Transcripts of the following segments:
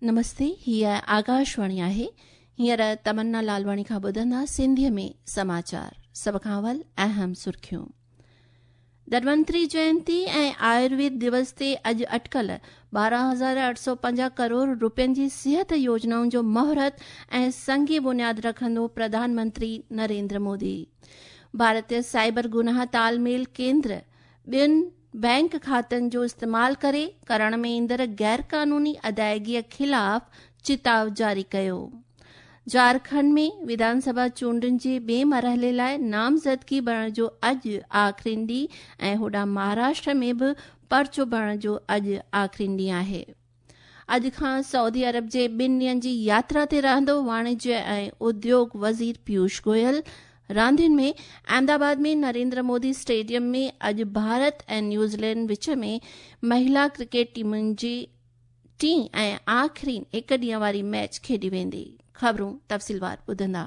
نمستي، هيء آڪاشواڻي آهي. هينئر تمنا لالواڻي کان ٻڌندا سنڌيء ۾ سماچار. سڀ کان اول اهم سرخيون. ڌنونتري جينتي ۽ آيورويد دوس تي اڄ اٽڪل 12,850 ڪروڙ روپين جي صحت يوجنائن جو مهورت ۽ سنگ بنياد رکندو پرڌان منتري نريندر مودي. ڀارتي سائبر گناهه تال ميل ڪيندر ٻين بئنڪ کاتن جو استعمال ڪري ڪرڻ ۾ ايندڙ غيرقانوني ادائگيء خلاف چتاء جاري ڪيو. جهارکنڊ ۾ وڌان سڀا چونڊن جي ٻئي مرحلي لاء نامزدگي ڀرڻ جو اڄ آخرين ڏينهن ۽ هوڏانهن مهاراشٽر ۾ به پرچو ڀرڻ جو اڄ آخرين ڏينهن آهي. اڄ کان سعودي عرب جي ٻن ڏينهن جي ياترا تي رهندو واڻجيه ۽ اديوگ وزير پيوش گويل. راندين ۾ احمد آباد ۾ نريندر مودي اسٽيڊيم ۾ اڄ ڀارت ۽ نيوزيلينڊ وچ ۾ مهلا ڪرڪيٽ ٽيمن جي ٽين ۽ آخرين هڪ ڏينهن واري ميچ کيڏي ويندي. خبرون تفصيلوار ٻڌندا.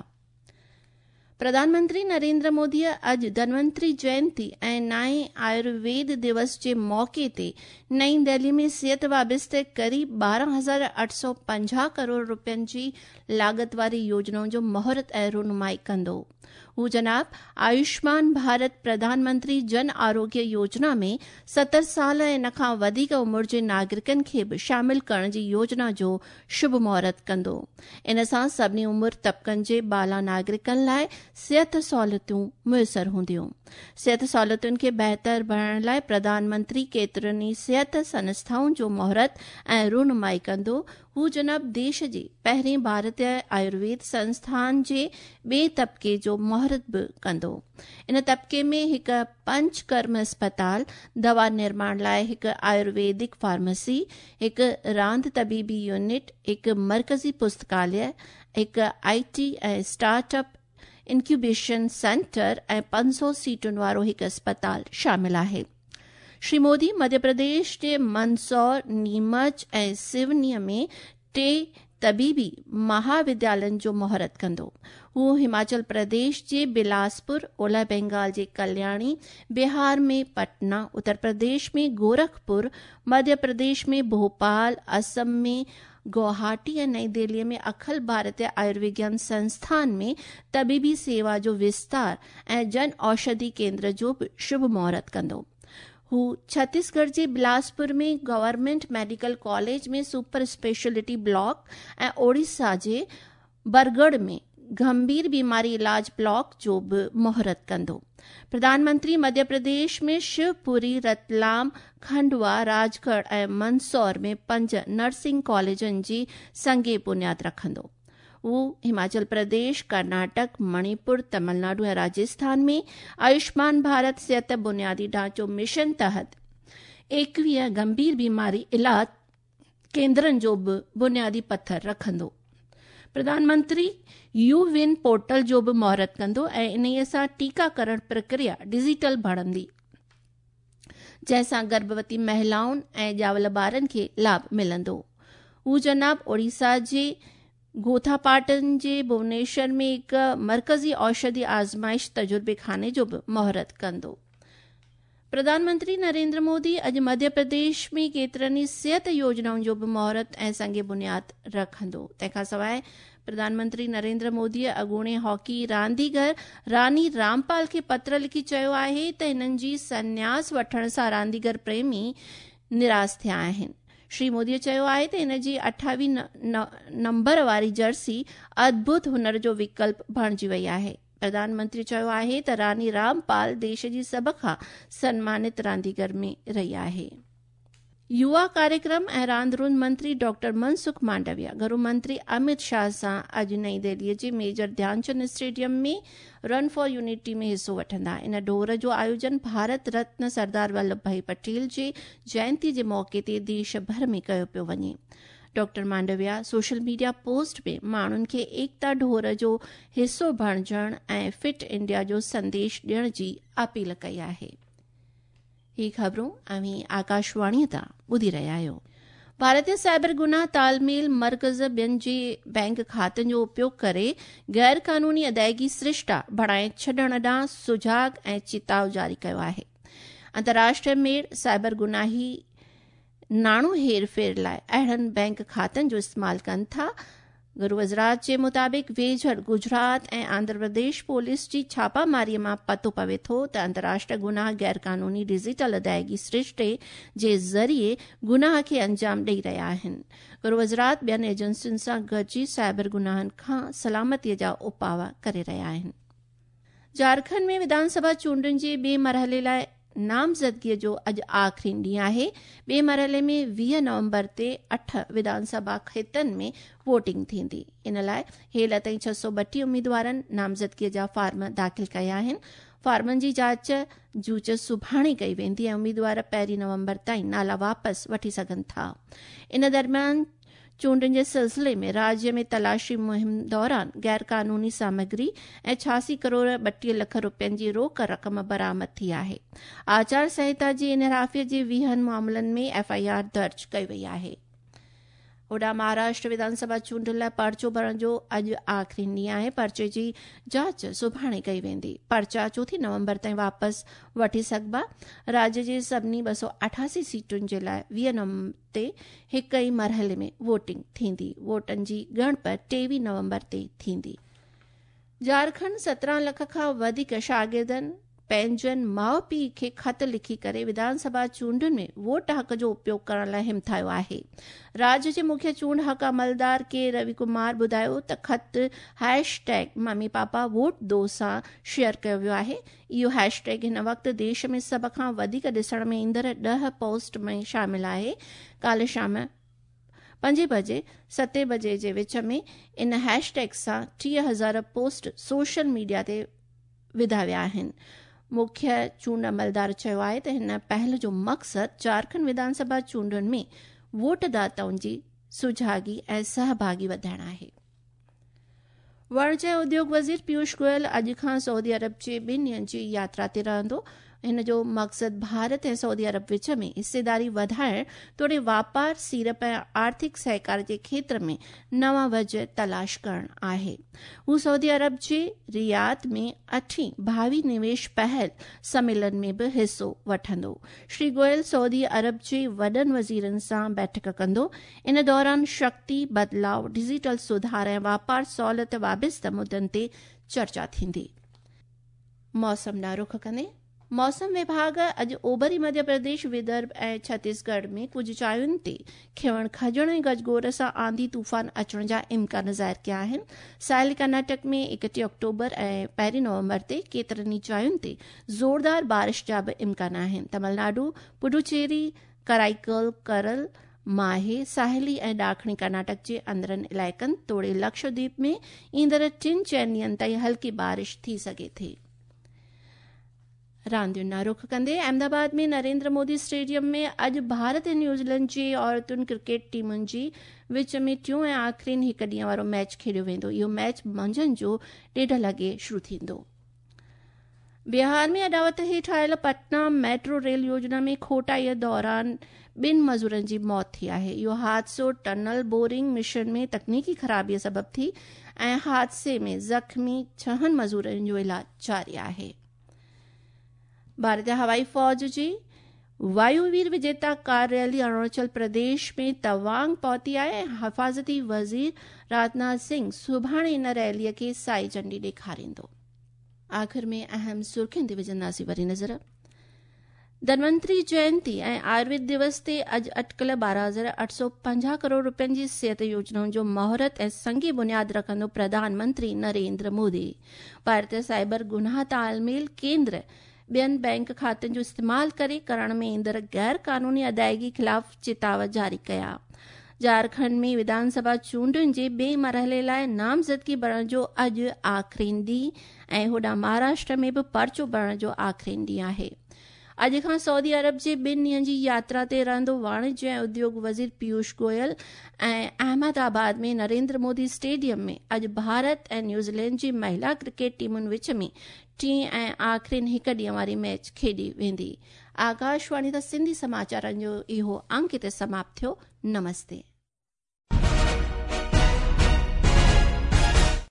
پرڌان منتري نريندر مودي اڄ ڌنونتري جينتي ۽ نائين آيورويد دوس جي موقعي تي نئين دهلي ۾ صحت وابسته قريب 12,850 ڪروڙ روپين جي لاڳت واري يوجنائن جو مهورت ۽ رونمائي ڪندو. هو جناب آيوشمان ڀارت پرڌان منتري جن آروگيه يوجنا ۾ 70 سال ۽ ان کان وڌيڪ عمر جي ناگرڪن کي به شامل ڪرڻ جي يوجنا جو شڀ مهورت ڪندو. ان سان سڀني عمر طبقن جي بالا ناگرڪن لاء صحت سهولتون ميسر هونديون. صحت سهولتن کي بهتر بڻائڻ لاء پرڌان منتري ڪيترين ئي صحت سنسٿائن جو مهورت ۽ رونمائي ڪندو. هو جناب ديش جي پهرين ڀارتيه آيورويد سنسٿان جي ٻئي طبقي جو مهورت به ڪندو. ان طبقي ۾ هڪ پنچ ڪرم اسپتال، دوا نرماڻ لاء هڪ آيورويدڪ فارمسي، هڪ راند طبيبي يونٽ، هڪ مرڪزي پستڪاليه، هڪ آء ٽي ۽ اسٽارٽ اپ انڪيوبيشن سينٽر ۽ 500 سيٽن وارو هڪ اسپتال شامل آهي. شري مودي مڌيه پرديش جي مندسور، نيمچ ۽ سيوني ۾ ٽي طبيبي مهاوديالين جو مهورت ڪندو. هو هماچل پرديش جي بلاسپور، اولهه بينگال جي ڪلياڻي، بهار ۾ پٽنا، اتر پرديش ۾ گورکپور، مڌيه پرديش ۾ ڀوپال، اسم ۾ گوهاٽي ۽ نئين دهلي ۾ اکل ڀارتيه آيوروگيان سنسٿان ۾ طبيبي سيوا جو وستار ۽ جن اوشڌي ڪيندر جو به شڀ مهورت ڪندو. هو ڇتيسڳڙهه جي Bilaspur ۾ government medical college ۾ super speciality block ۽ Odisha جي برڳڙهه ۾ گنڀير بيماري علاج بلاڪ جو به مهورت ڪندو. پرڌان منتري مڌيه پرديش ۾ شوپوري، رتلام، کنڊوا، راجڳڙهه ۽ مندسور ۾ پنج نرسنگ ڪاليجن جي سنگ بنياد رکندو. هو هماچل پرديش، ڪرناٽڪ، مڻيپور، تمل ناڊو ۽ راجسٿان ۾ آيوشمان ڀارت صحت بنيادي ڍانچو مشن تحت 21 گنڀير بيماري علاج ڪيندرن جو به بنيادي پٿر رکندو. Pradhan Mantri U one portal جو به مهورت ڪندو ۽ انهيء سان ٽيڪاڪرڻ پرڪريا ڊجيٽل بڻندي، جنهن سان گرڀوتي مهلائن ۽ ڄاول ٻارن کي لاڀ ملندو. هو جناب اوڙيسا جي گوٿاپاٽن جي ڀونيشور ۾ هڪ مرڪزي اوشڌي آزمائش تجربي خاني جو به مهورت ڪندو. پرڌان منتري نريندر مودي اڄ مڌيه پرديش ۾ ڪيترن ئي صحت يوجنائن جو به مهورت ۽ سنگ بنياد رکندو. تنهن کان سواء پرڌان منتري نريندر مودي اڳوڻي هاڪي رانديگر راني رامپال کي پتر لکي چيو آهي ته هنن جي سنياس وٺڻ سان رانديگر پريمي نراس ٿيا آهن. شري مودي چيو آهي ته هن جي 28 نمبر واري جرسي ادڀت هنر جو وڪلپ بڻجي وئي آهي. پرڌان منتري چيو آهي ته راني رامپال ديش جي سڀ کان سنمانت رانديگر ۾ رهي آهي. يووا ڪاريڪرم ۽ راند روند منتري ڊاڪٽر منسک مانڊويا گهرو منتري امت شاهه سان اڄ نئين دهلي جي major Dhyanchand stadium ۾ run for unity ۾ حصو وٺندا. ان ڊوڙ جو آيوجن ڀارت رتن سردار ولڀ ڀائي پٽيل جي جينتي جي موقعي تي ديش ڀر ۾ ڪيو پيو وڃي. Doctor Mandaviya social media post ۾ ماڻهن کي ايڪتا ڊوڙ جو حصو بڻجڻ ۽ فٽ انڊيا جو سنديش ڏيڻ جي اپيل ڪئي آهي. هي خبرون اوهين آڪاشواڻي تان ٻڌي رهيا آهيو. ڀارتي سائبر گناهه تال ميل مرڪز ٻين جي بئنڪ کاتن جو اپيوگ ڪري غير قانوني ادائگي سرشتا بڻائي ڇڏڻ ڏانهن سجاڳ ۽ چتاء جاري ڪيو آهي. انترراشٽريه ميڙ سائبر گناهي ناڻو هير ڦير لاء اهڙن بئنڪ کاتن جو استعمال ڪن ٿا. گهرو وزارت جي مطابق ويجهڙ گجرات ۽ آنڌرا پرديش پوليس جي ڇاپاماري مان پتو پوي ٿو ته انترراشٽريه گناهه غيرقانوني ڊجيٽل ادائيگي سرشتي جي ذريعي گناهه کي انجام ڏئي رهيا آهن. گهرو وزارت ٻين ايجنسين سان گڏجي سائبر گناهن کان سلامتي جا اپاء ڪري رهيا آهن. جهارکنڊ ۾ وڌان سڀا چونڊن جي ٻئي مرحلي لاء نامزدگيء جو اڄ آخرين ڏينهن آهي. ٻئي مرحلي ۾ 20 نومبر تي اٺ وڌان سڀا کيتن ۾ ووٽنگ ٿيندي. ان لاء هيل تائين 632 اميدوارن نامزدگيء جا فارم داخل ڪيا آهن. فارمن جي جاچ جوچ سڀاڻي ڪئي ويندي ۽ اميدوار پهرين نومبر تائين نالا واپس وٺي سگهن ٿا. ان درميان چونڊن جي سلسلي ۾ راجيه ۾ تلاشي مهم دوران غيرقانوني سامگري ۽ 86 ڪروڙ 32 لک روپين جي روڪ رقم برآمد ٿي آهي. آچار سنهتا جي انحرافي جي 20 معاملن ۾ ايف I R درج ڪئي وئي آهي. هوڏانهن مهاراشٽر وڌان سڀا چونڊن لاء پرچو ڀرڻ جو اڄ آخرين ڏينهن آهي. پرچي جي جاچ سڀاڻي ڪئي ويندي. پرچا چوٿين نومبر تائين واپس وٺي سگهبا. راجيه جي سڀني 288 سيٽن جي لاء 20 نومبر تي هڪ ئي مرحلي ۾ ووٽنگ ٿيندي. ووٽن جي ڳڻپ 23 نومبر تي ٿيندي. جهارکنڊ 17 لک کان وڌيڪ شاگردن پنهنجن ماء پيء کي خط لکي ڪري وڌان سڀا چونڊن ۾ ووٽ حق جو اپيوگ ڪرڻ لاء همٿايو آهي. راجيه جي مکيه چونڊ حق عملدار ڪي روي ڪمار ٻڌايو ته خط hash tag mummy papa vote دو سان شيئر ڪيو ويو آهي. اهو هيش ٽيگ هن وقت ديش ۾ سڀ کان وڌيڪ ڏسڻ ۾ ايندڙ 10 پوسٽ ۾ شامل آهي. ڪالهه شام پنجين بجي ستين بجي جي وچ ۾ ان هيش ٽيگ سان 30,000 پوسٽ سوشل ميڊيا تي وڌا ويا آهن. مکيه چونڊ عملدار چيو آهي ته هن پهل جو مقصد جهارکنڊ وڌان سڀا چونڊن ۾ ووٽ داتائن جي سجاڳي ۽ سهڀاڳي وڌائڻ آهي. واڻج ۽ اديوگ وزير پيوش گويل اڄ کان سعودي عرب جي ٻن ڏينهن جي ياترا تي رهندو. هن جو مقصد ڀارت ۽ سعودي عرب وچ ۾ حصيداري وڌائڻ توڙي واپار، سيڙپ ۽ آرٿڪ سهڪار جي کيتر ۾ نوان وجهه تلاش ڪرڻ آهي. هو سعودي عرب جي رياض ۾ اٺين ڀاوي نويش پهل سميلن ۾ به حصو وٺندو. شري گويل سعودي عرب جي وڏن وزيرن سان بيٺڪ ڪندو. ان دوران شڪتي، بدلاء، ڊجيٽل سڌار ۽ واپار سهولت وابسته مدن تي چرچا ٿيندي. موسم ڏانهن رخ ڪندي موسم وڀاڳ اڄ اوڀري مڌيه پرديش، ودرڀ ۽ ڇتيسڳڙهه ۾ ڪجهه جاين تي کنوڻ کجڻ ۽ گجگوڙ سان آنڌي طوفان اچڻ جا امڪان ظاهر ڪيا آهن. ساحلي ڪرناٽڪ ۾ 31 آڪٽوبر ۽ پهرين نومبر تي ڪيترن ئي جاين تي زوردار بارش جا به امڪان آهن. تمل ناڊو، پڊوچيري، ڪرائيڪل، ڪرل، ماهي، ساحلي ۽ ڏاکڻي ڪرناٽڪ جي اندرن علائقن توڙي لڪشدويپ ۾ ايندڙ ٽن چئن ڏينهن تائين هلڪي بارش ٿي سگهي ٿي. راندين ڏانهن رخ ڪندي احمد آباد ۾ نريندر مودي اسٽيڊيم ۾ اڄ ڀارت ۽ نيوزيلينڊ جي عورتن ڪرڪيٽ ٽيمن جي وچ ۾ ٽيون ۽ آخرين هڪ ڏينهن وارو ميچ کيڏيو ويندو. اهو ميچ منجهند جو ڏيڍ لڳي شروع ٿيندو. بهار ۾ اڏاوت هيٺ آيل پٽنا ميٽرو ريل يوجنا ۾ کوٽائي دوران ٻن مزورن جي موت ٿي آهي. اهو حادثو ٽنل بورنگ مشن ۾ تڪنيڪي خرابي سبب ٿي ۽ حادثي ۾ زخمي ڇهن مزورن جو علاج جاري آهي. ڀارتي هوائي فوج جي وايووير وجيتا ڪار ريلي اروناچل پرديش ۾ توانگ پهتي آهي ۽ حفاظتي وزير راجناٿ سنگهه سڀاڻي ان ريلي کي سائي جهنڊي ڏيکاريندو. آخر ۾ اهم سرخين تي وجهنداسين وري نظر. ڌنونتري جينتي ۽ آيورويد دوس تي اڄ اٽڪل 12,850 ڪروڙ روپين جي صحت يوجنائن جو مهورت ۽ سنگي بنياد رکندو پرڌان منتري نريندر مودي. ڀارتي سائبر گناهه تال ميل ڪيندر ٻين بئنڪ کاتن جو استعمال ڪري ڪرڻ ۾ ايندڙ غير قانوني ادائيگي خلاف چتاء جاري ڪيا. جهارکنڊ ۾ وڌان سڀا چونڊن جي ٻئي مرحلي لاء نامزدگي ڀرڻ جو اڄ آخرين ڏينهن ۽ هوڏانهن مهاراشٽر ۾ به پرچو ڀرڻ جو آخرين ڏينهن آهي. اڄ کان سعودي عرب جي ٻن ڏينهن جي ياترا تي رهندو واڻج ۽ اديوگ وزير پيوش گويل ۽ احمد آباد ۾ نريندر مودي اسٽيڊيم ۾ اڄ ڀارت ۽ نيوزيلينڊ جي مهلا ڪرڪيٽ ٽيمن وچ ۾ ٽين ۽ آخرين هڪ ڏينهن واري ميچ کيڏي ويندي. آڪاشواڻي تان سنڌي سماچارن جو اهو انڪ هتي سماپت ٿيو. نمستي.